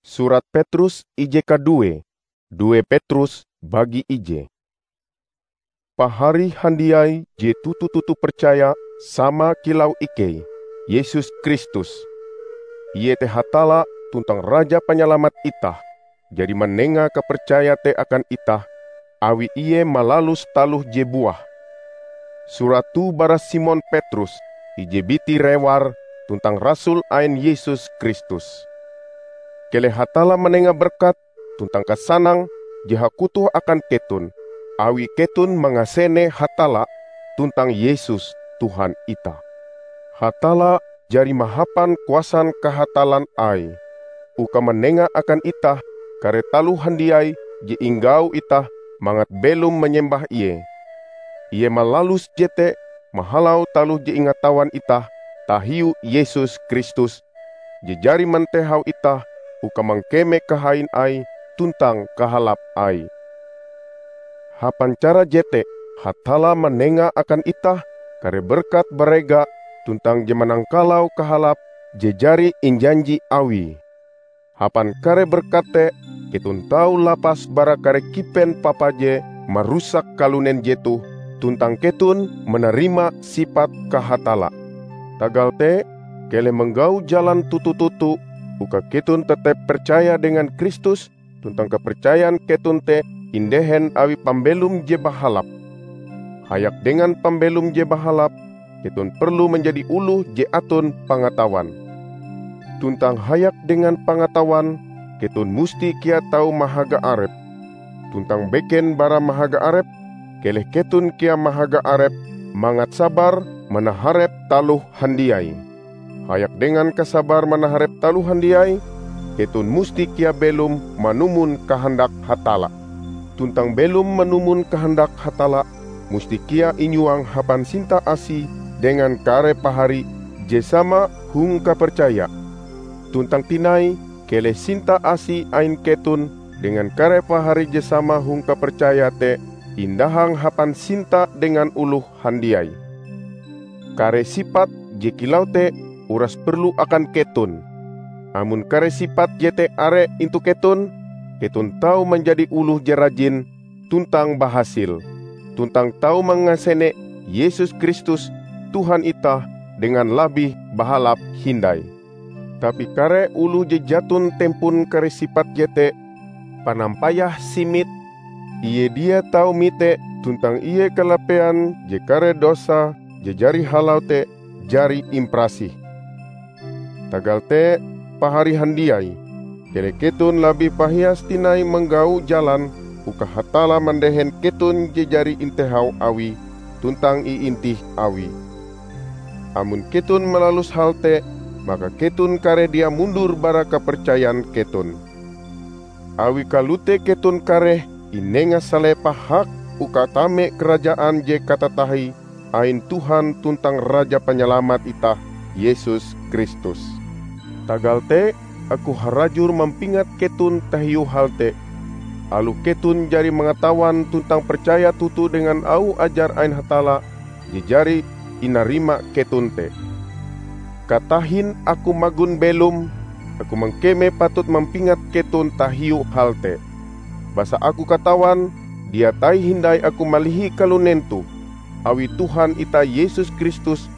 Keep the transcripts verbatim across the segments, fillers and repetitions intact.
Surat Petrus ije kadue, due Petrus bagi ije. Pahari handiai je toto-toto percaya sama kilau ikei, Yesus Kristus, Ie te Hatalla tuntang Raja Panyalamat itah, jari manenga kapercaya te akan itah, awi Ie malalus taloh je buah. Surat toh bara Simon Petrus, ije biti rewar tuntang rasul ain Yesus Kristus. Keleh Hatalla manenga berkat tuntang kasanang je hakutoh akan keton, awi keton mangasene Hatalla tuntang Yesus, Tuhan itah. Hatalla jari mahapan kuasan kahatallan Aie, uka manenga akan itah kare taloh handiai je inggau itah mangat belom manyembah Ie. Ie malalus jete mahalau taloh je ingatawan itah tahiu Yesus Kristus, je jari mantehau itah uka mangkeme kahain Aie tuntang kahalap Aie. Hapan cara jete, Hatalla manenga akan itah kare berkat barega tuntang je manangkalau kahalap je jari injanji Awie. Hapan kare berkat te, keton tau lapas bara kare kipen papa je marusak kalunen jetoh, tuntang keton manarima sipat kahatalla. Tagal te, keleh manggau jalan toto-toto uka keton tetep percaya dengan Kristus, tuntang kapercayan keton te indehen awi pambelom je bahalap. Hayak dengan pambelom je bahalap, keton perlu manjadi oloh je aton pangatawan. Tuntang hayak dengan pangatawan, keton musti kea tau mahaga arep. Tuntang beken bara mahaga arep, keleh keton kea mahaga arep mangat sabar manaharep taloh handiai. Hayak dengan kasabar manaharep taloh handiai, keton musti kea belom manumon kahandak Hatalla. Tuntang belom manumon kahandak Hatalla, musti kea inyuang hapan sinta-asi dengan kare pahari je sama hong kapercaya. Tuntang tinai, keleh sinta-asi ain keton dengan kare pahari je sama hong kapercaya te indahang hapan sinta dengan oloh handiai. Kare sipat je kilau te uras perlu akan keton. Amon kare sipat jete are intu keton, keton tau manjadi oloh je rajin tuntang bahasil, tuntang tau mangasene Yesus Kristus, Tuhan itah, dengan labih bahalap hindai. Tapi kare oloh je jaton tempon kare sipat jete, panampayah simit, ie dia tau mite tuntang ie kalapean je kare dosa je jari halau te jari imparasih. Tagal te, pahari handiai, keleh keton labih pahias tinai manggau jalan uka Hatalla mandehen keton je jari intehau Awie tuntang iintih Awie. Amon keton malalus hal te, maka keton kareh dia mundur bara kapercayan keton. Awi kalote keton kareh inenga salepah hak uka tame Karajaan je katatahie ain Tuhan tuntang Raja Panyalamat itah, Yesus Kristus. Tagal te, aku harajur mampingat keton tahiu hal te, aloh keton jari mangatawan tuntang percaya toto dengan auh ajar ain Hatalla je jari inarima keton te. Katahin aku magon belom, aku mangkeme patut mampingat keton tahiu hal te. Basa aku katawan dia tai-hindai aku malihi kalunen toh, awi Tuhan itah Yesus Kristus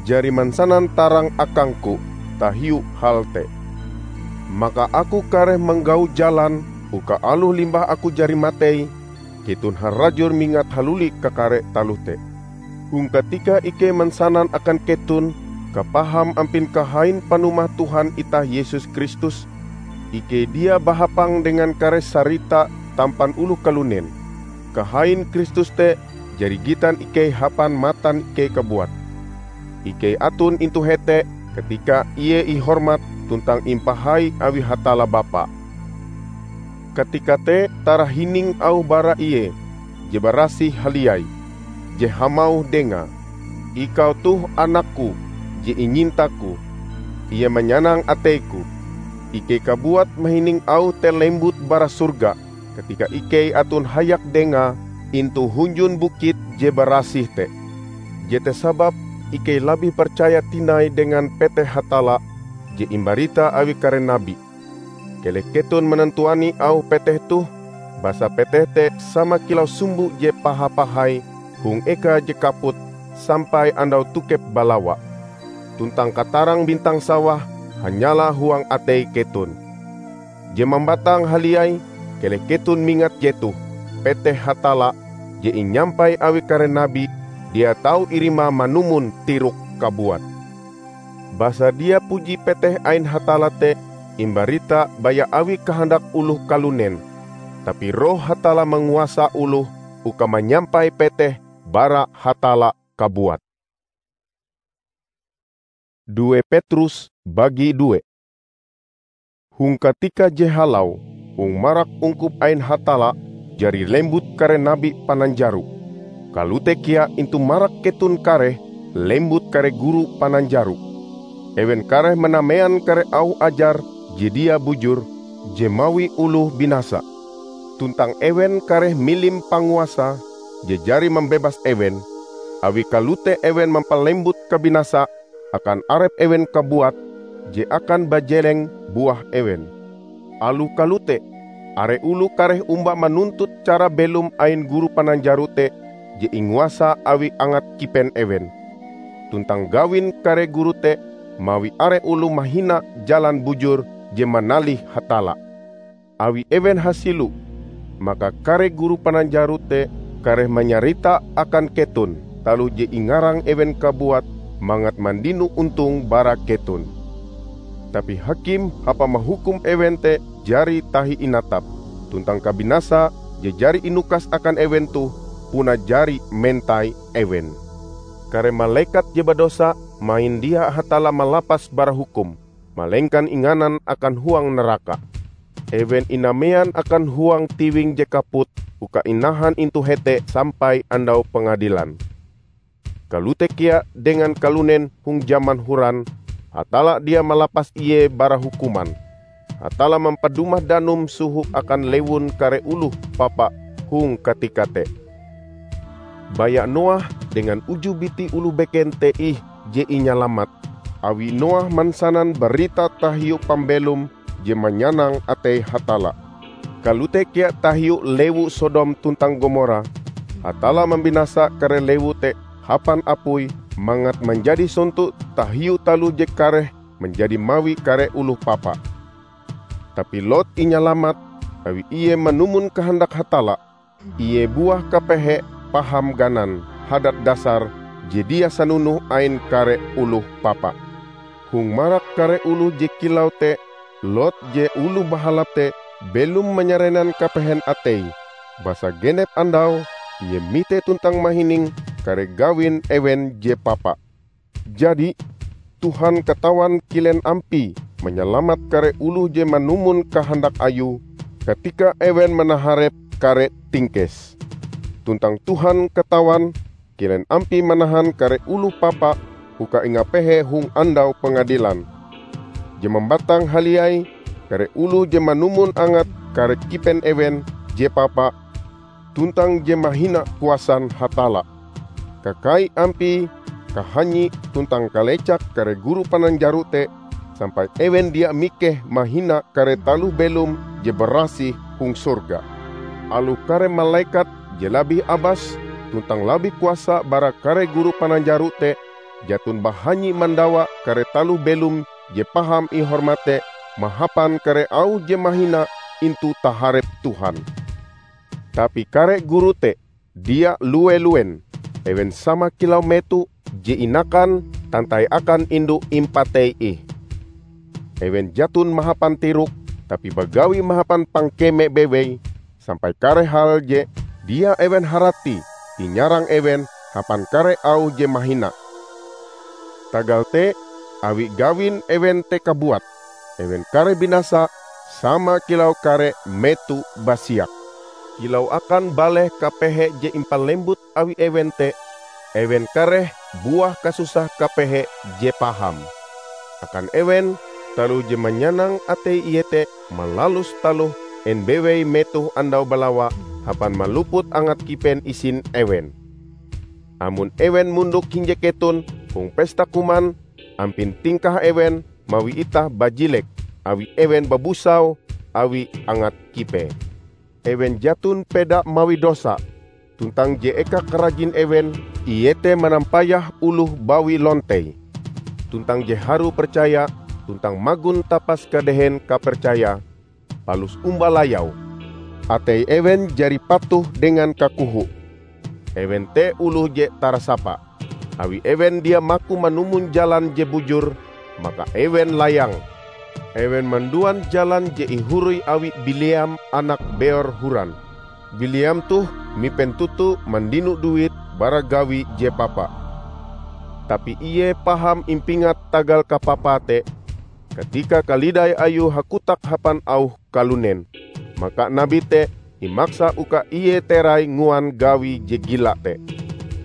jari mansanan tarang akangku tahiu hal te. Maka aku kareh manggau jalan uka aloh limbah aku jari matei, keton harajur mingat haluli kakare taloh te. Hong katika ikei mansanan akan keton kapaham ampin kahain panumah Tuhan itah Yesus Kristus, ikei dia bahapang dengan kare sarita tampan oloh kalunen. Kahain Kristus te jari gitan ikei hapan matan ikei kabuat. Ikei aton intu hete katika Ie ihormat tuntang impahai awi Hatalla Bapa. Katika te tarahining auh bara Ie je barasih haliai, je hamauh Dengae, "Ikau toh Anak-Ku je inyinta-Ku, Ie manyanang atei-Ku." Ikei kabuat mahining auh te lembut bara sorga katika ikei aton hayak Dengae intu hunjun bukit je barasih te. Jete sababe ikei labih percaya tinai dengan peteh Hatalla je imbarita awi kare nabi. Keleh keton manantuani auh peteh toh, basa peteh te sama kilau sumbo je paha-pahai hong eka je kaput sampai andau tokep balawa. Tuntang katarang bintang sawah hanyala huang atei keton. Je mambatang haliai, keleh keton mingat jetoh: peteh Hatalla je inyampai awi kare nabi dia tau irimae manumon tirok kabuat. Basa dia puji peteh ain Hatalla te imbarita baya awi kahandak oloh kalunen, tapi Roh Hatalla manguasa oloh uka manyampai peteh bara Hatalla kabuat. Due Petrus bagi due. Hong katika je halau, hong marak ungkup ain Hatalla jari lembut kare nabi pananjaro. Kalote kea intu marak keton kareh lembut kare guru pananjaro. Ewen kareh manamean kare auh ajar je dia bujur, je mawi oloh binasa. Tuntang ewen kareh milim panguasa je jari mambebas ewen, awi kalote ewen mampalembut kabinasa akan arep ewen kabuat je akan bajeleng buah ewen. Aloh kalote, are oloh kareh omba manuntut cara belom ain guru pananjaro te je inguasa awi angat kipen ewen. Tuntang gawin kare guru te mawi are oloh mahina jalan bujur je manalih Hatalla. Awi ewen hasilo, maka kare guru pananjaro te kareh manyarita akan keton taloh je ingarang ewen kabuat mangat mandino ontong bara keton. Tapi hakim hapan mahukum ewen te jari tahi inatap, tuntang kabinasa je jari inukas akan ewen toh puna jari mentai ewen. Kare malekat je badosa mahin dia Hatalla malapas bara hukum, malengkan inganan akan huang naraka. Ewen inamean akan huang tiwing je kaput uka inahan intu hete sampai Andau Pengadilan. Kalote kea dengan kalunen hong jaman horan, Hatalla dia malapas ie bara hukuman. Hatalla mampadumah danum soho akan lewun kare oloh papa hong katika te. Baya Noah dengan uju biti oloh beken te ih je inyalamat, awi Noah mansanan barita tahiu pambelom je manyanang atei Hatalla. Kalote kea tahiu lewu Sodom tuntang Gomora, Hatalla mambinasa kare lewu te hapan apui mangat manjadi sonto tahiu taloh je kareh manjadi mawi kare oloh papa. Tapi Lot inyalamat, awi ie manumon kahandak Hatalla. Ie buah kapehe paham ganan hadat dasar je dia sanonoh ain kare oloh papa. Hong marak kare oloh je kilau te, Lot je oloh bahalap te belom manyarenan kapehen ateie, basa genep andau ie mite tuntang mahining kare gawin ewen je papa. Jadi, Tuhan katawan kilen ampie manyalamat kare oloh je manumon kahandak Ayue katika ewen manaharep kare tingkes. Tuntang Tuhan katawan kilen ampie manahan kare oloh papa uka ingapehe hong Andau Pengadilan. Je mambatang haliai, kare oloh je manumon angat kare kipen ewen je papa, tuntang je mahina kuasan Hatalla. Kakai ampie, kahanyi tuntang kalecak kare guru pananjaro te, sampai ewen dia mikeh mahina kare taloh belom je barasih hong sorga. Aloh kare malekat je labih abas tuntang labih kuasa bara kare guru pananjaro te, jaton bahanyi mandawa kare taloh belom je paham ihormat te mahapan kare auh je mahina intu taharep Tuhan. Tapi kare guru te dia lue-luen. Ewen sama kilau meto je inakan tantai akan indu impatei ih. Ewen jaton mahapan tirok, tapi bagawi mahapan pangkeme bewei, sampai kare hal je dia ewen harati inyarang ewen hapan kare auh je mahina. Tagal te, awi gawin ewen te kabuat, ewen kareh binasa sama kilau kare meto basiak. Kilau akan baleh kapehe je impalembut awi ewen te, ewen kareh buah kasusah kapehe je paham. Akan ewen, taloh je manyanang atei iete malalus taloh en bewei metoh andau balawa hapan maluput angat kipen isin ewen. Amon ewen mondok hinje keton hong pesta kuman, ampin tingkah ewen mawi itah bajilek, awi ewen babusau, awi angat kipee. Ewen jaton peda mawi dosa, tuntang je eka karajin ewen iete manampayah oloh bawi lontei, tuntang je harue percaya tuntang magon tapas kadehen kapercayae, palus omba layau. Atei ewen jari patuh dengan kakoho. Ewen te oloh je tarasapa. Awi ewen dia maku manumon jalan je bujur, maka ewen layang. Ewen manduan jalan je ihoroi awi Bileam anak Beor horan. Bileam toh mipen toto mandino duit bara gawi je papa. Tapi ie paham impingat tagal kapapae te, katika kalidai ayue hakotak hapan auh kalunen, maka nabi te imaksa uka ie terai nguan gawi je gila te.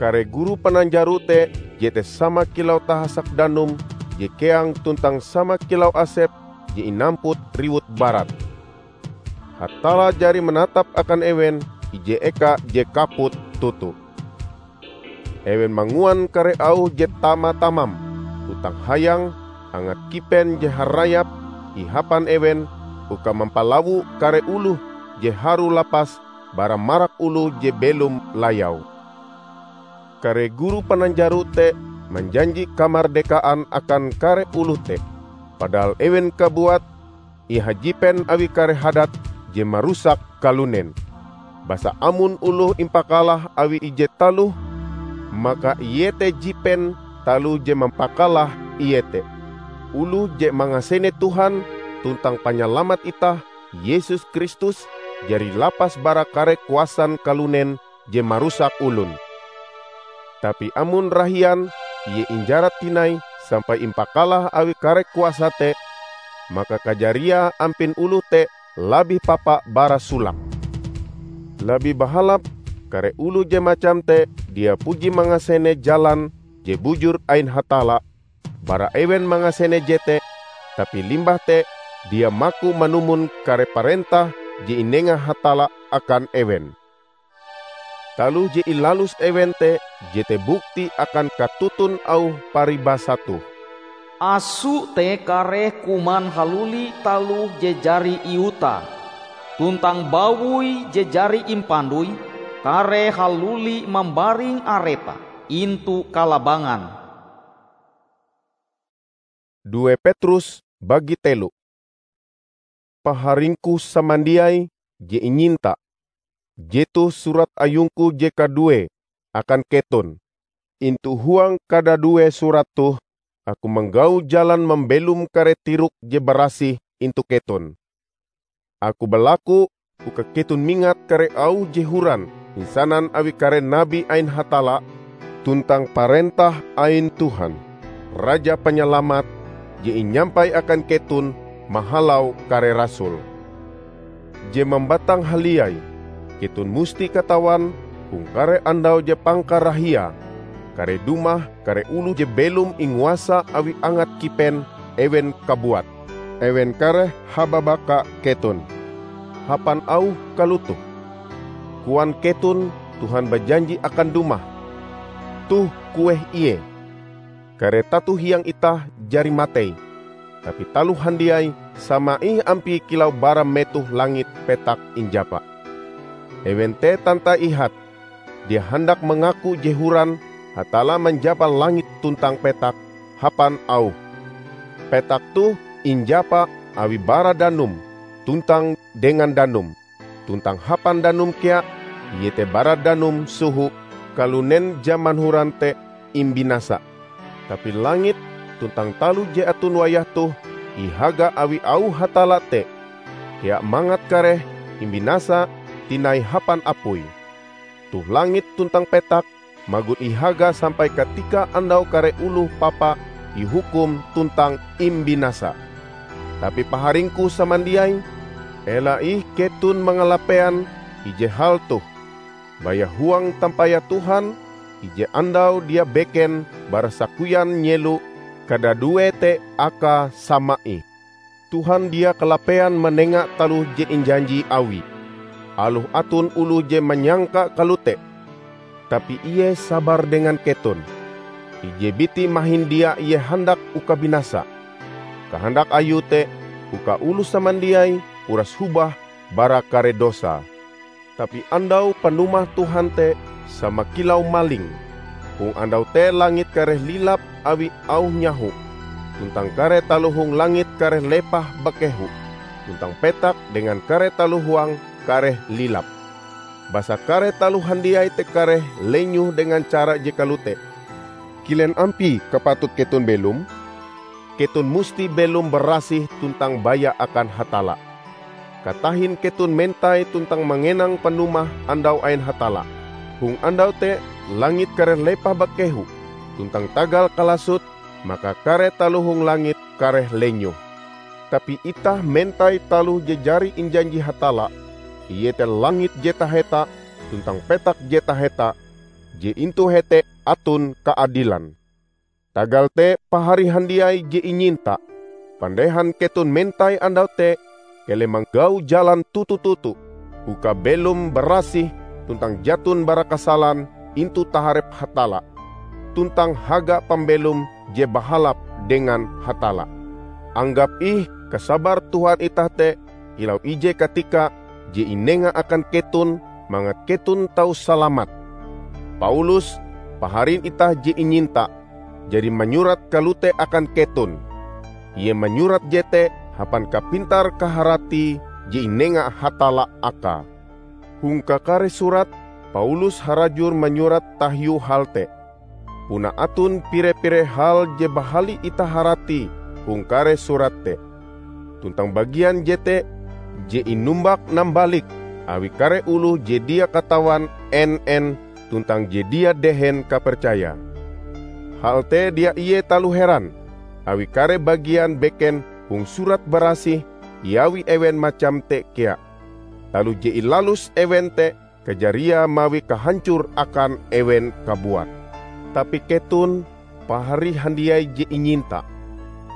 Kare guru pananjaro te jete sama kilau tahasak danum je keang tuntang sama kilau asep je inamput riwut barat. Hatalla jari manatap akan ewen ije eka je kaput toto. Ewen manguan kare auh je tama-tamam, tuntang hayang, angat kipen je harayap ihapan ewen uka mampalawo kare oloh je harue lapas bara marak oloh je belom layau. Kare guru pananjaro te manjanji kamardekaan akan kare oloh te, padahal ewen kabuat ihajipen awi kare hadat je marusak kalunen. Basa amon oloh impakalah awi ije taloh, maka iete jipen taloh je mampakalah ie te. Oloh je mangasene Tuhan tuntang Panyalamat itah, Yesus Kristus, jari lapas bara kare kuasan kalunen je marusak olon. Tapi amon rahian ie injarat tinai sampai impakalah awi kare kuasa te, maka kajariae ampin oloh te labih papa bara solake. Labih bahalap kare oloh je macam te dia puji mangasene jalan je bujur ain Hatalla bara ewen mangasene jete, tapi limbah te dia maku manumon kare parentah je inenga Hatalla akan ewen. Taloh je ilalus ewen te jete bukti akan katoton auh paribasa toh. Aso te kareh kuman haluli taloh je jari iutae, tuntang bawoi je jari impandoi kareh haluli mambaring arepe intu kalabangan. Due Petrus bagi telo. Paharingku samandiai je inyinta, jetoh surat ayungku je kaduee akan keton. Intu huang kadadue surat toh, aku manggau jalan mambelom kare tirok je barasih intu keton. Aku balaku uka keton mingat kare auh je horan insanan awi kare nabi ain Hatalla, tuntang parentah ain Tuhan, Raja Panyalamat, je inyampai akan keton mahalau kare rasul. Je mambatang haliai, keton musti katawan hong kare andau je pangkarahiae, kare dumah kare oloh je belom inguasa awi angat kipen ewen kabuat. Ewen kareh hababaka keton, hapan auh kalotoh, "Koan keton Tuhan bajanji akan dumah. Toh kueh ie! Kare tato hiang itah jari matei, tapi taloh handiai sama ih ampie kilau bara metoh langit petak injapa." Ewen te tantai ihat, dia handak mangaku je horan Hatalla manjapa langit tuntang petak hapan auhe. Petak toh injapa awi bara danum tuntang dengan danum, tuntang hapan danum kea, iete bara danum soho kalunen jaman horan te imbinasa. Tapi langit tuntang taloh je aton wayah toh ihaga awi auh Hatalla te, kea mangat kareh imbinasa tinai hapan apui. Toh langit tuntang petak magon ihaga sampai katika andau kare oloh papa ihukum tuntang imbinasa. Tapi paharingku samandiai, ela ih keton mangalapean ije hal toh. Baya huang tampayah Tuhan, ije andau dia beken bara sakoyan nyelo kadadue te akae sama ih. Tuhan dia kalapean manenga taloh je injanji Awie, aloh aton oloh je manyangka kalote. Tapi Ie sabar dengan keton. Ije biti mahin dia Ie handak uka binasa. Kahandak Ayue te uka oloh samandiai uras hobah bara kare dosae. Tapi andau panumah Tuhan te sama kilau maling. Hong andau te langit kareh lilap awi auh nyaho, tuntang kare taloh hong langit kareh lepah bakehu, tuntang petak dengan kare taloh huange kareh lilap. Basa kare taloh handiai te kareh lenyoh dengan cara je kalote. Kilen ampie kapatut keton belom? Keton musti belom barasih tuntang baya akan Hatalla. Katahin keton mentai tuntang manenga panumah andau ain Hatalla. Hong andau te langit kareh lepah bakehu, tuntang tagal kalasot, maka kare taloh hong langit kareh lenyoh. Tapi itah mentai taloh je jari injanji Hatalla, iete langit je taheta tuntang petak je taheta, je intu hete aton kaadilan. Tagal te, pahari handiai je inyinta, pandehan keton mentai andau te, keleh manggau jalan toto-toto, uka belom barasih tuntang jaton bara kasalan intu taharep Hatalla, tuntang haga pambelom je bahalap dengan Hatalla. Anggap ih kasabar Tuhan itah te kilau ije katika je inenga akan keton mangat keton tau salamat. Paulus, paharin itah je inyinta, jari manyurat kalote akan keton. Ie manyurat jete hapan kapintar-kaharati je inenga Hatalla akae. Hong kakare surat, Paulus harajur manyurat tahiu hal te. Puna aton pire-pire hal je bahali itah harati hong kare surat te. Tuntang bagian jete je inumbak-nambalik awi kare oloh je dia katawan en-en tuntang je dia dehen kapercaya. Hal te dia ie taloh heran, awi kare bagian beken hong Surat Barasih iawi ewen macam te kea. Taloh je ilalus ewen te kajariae mawi kahancor akan ewen kabuat. Tapi keton, pahari handiai je inyinta,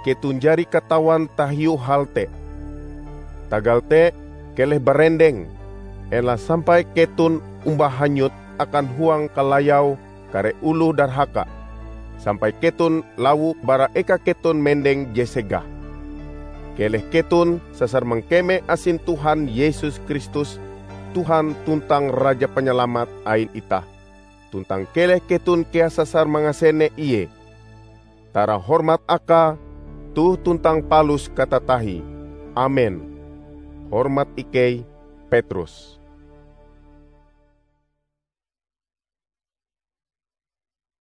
keton jari katawan tahiu hal te. Tagal te, keleh barendeng, ela sampai keton omba hanyut akan huang kalayau kare oloh darhaka, sampai keton lawo bara eka keton mendeng je segah. Keleh keton sasar mangkeme asin Tuhan Yesus Kristus, Tuhan tuntang Raja Panyalamat ain itah, tuntang keleh keton kea sasar mangasene Ie. Tara hormat Akae toh tuntang palus katatahie. Amen. Hormat ikei, Petrus.